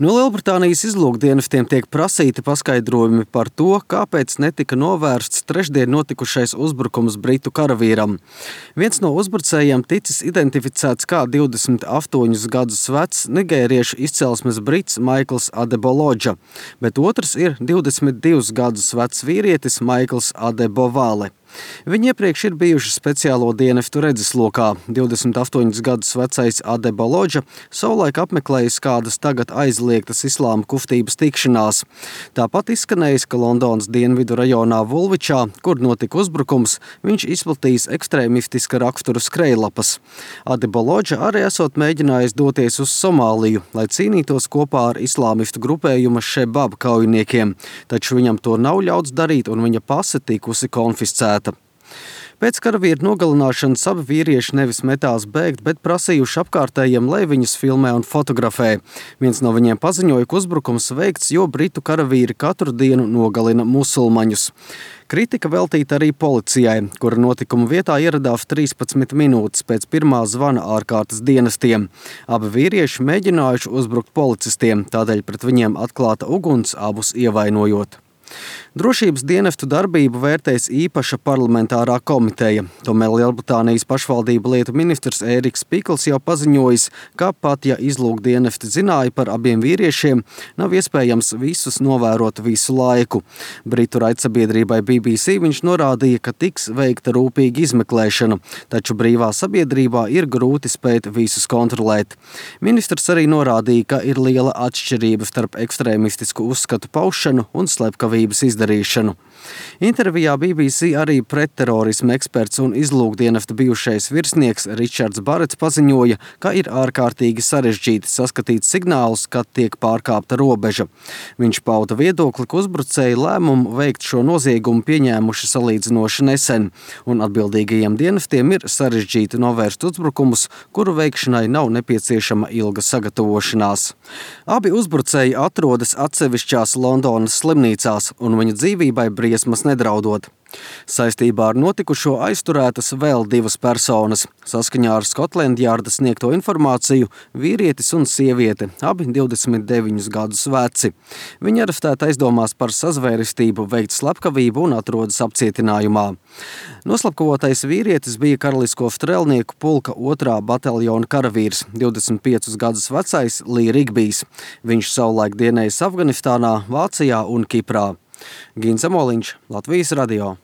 No Lielbritānijas izlūkdienestiem tiek prasīti paskaidrojumi par to, kāpēc netika novērsts trešdien notikušais uzbrukums britu karavīram. Viens no uzbrucējiem ticis identificēts kā 28 gadus vecs nigēriešu izcelsmes brits Maikls Adeboloģa, bet otrs ir 22 gadus vecs vīrietis Maikls Adebovale. Viņi iepriekš ir bijuši speciālo dienestu redzeslokā. 28 gadus vecais Adeboloģa savulaik apmeklējis kādas tagad aizliegtas islāma kustības tikšanās. Tāpat izskanējis, ka Londonas dienvidu rajonā Vulvičā, kur notika uzbrukums, viņš izplatījis ekstrēmistiska rakstura skrejlapas. Adeboloģa arī esot mēģinājis doties uz Somāliju, lai cīnītos kopā ar islāmistu grupējuma Šebab kaujiniekiem, taču viņam to nav ļauts darīt un viņa pase tikusi konfiscēta. Pēc karavīra nogalināšanas abi vīrieši nevis metās bēgt, bet prasījuši apkārtējiem, lai viņus filmē un fotografē. Viens no viņiem paziņoja, ka uzbrukums veikts, jo britu karavīri katru dienu nogalina musulmaņus. Kritika veltīta arī policijai, kura notikuma vietā ieradās 13 minūtes pēc pirmā zvana ārkārtas dienestiem. Abi vīrieši mēģinājuši uzbrukt policistiem, tādēļ pret viņiem atklāta uguns, abus ievainojot. Drošības dienestu darbību vērtēs īpaša parlamentārā komiteja. Tomēr Lielbritānijas pašvaldību lietu ministrs Ēriks Pikls jau paziņojis, ka pat ja izlūkdienesti zināja par abiem vīriešiem, nav iespējams visus novērot visu laiku. Britu raidsabiedrībai BBC viņš norādīja, ka tiks veikta rūpīga izmeklēšana, taču brīvā sabiedrībā ir grūti spēt visus kontrolēt. Ministrs arī norādīja, ka ir liela atšķirība starp ekstrēmistisku uzskatu paušanu un slepkavības izdarīšanu. Intervijā BBC arī pretterorisma eksperts un izlūkdienesta bijušais virsnieks Ričards Barets paziņoja, ka ir ārkārtīgi sarežģīti saskatīt signālus, kad tiek pārkāpta robeža. Viņš pauda viedokli, ka uzbrucēji lēmumu veikt šo noziegumu pieņēmuši salīdzinoši nesen, un atbildīgajiem dienestiem ir sarežģīti novērst uzbrukumus, kuru veikšanai nav nepieciešama ilga sagatavošanās. Abi uzbrucēji atrodas atsevišķās Londonas slimnīcās, un viņa dzīvībai briesmas nedraudot. Saistībā ar notikušo aizturētas vēl divas personas. Saskaņā ar Scotland Yarda sniegto informāciju vīrietis un sieviete, abi 29 gadus veci. Viņi arestēti aizdomās par sazvērestību, veikt slepkavību un atrodas apcietinājumā. Noslapkavotais vīrietis bija Karalisko strēlnieku pulka 2. bataljona karavīrs, 25 gadus vecais Lee Rigbijs. Viņš savulaik dienējis Afganistānā, Vācijā un Kiprā. Gins Amoliņš, Latvijas radio.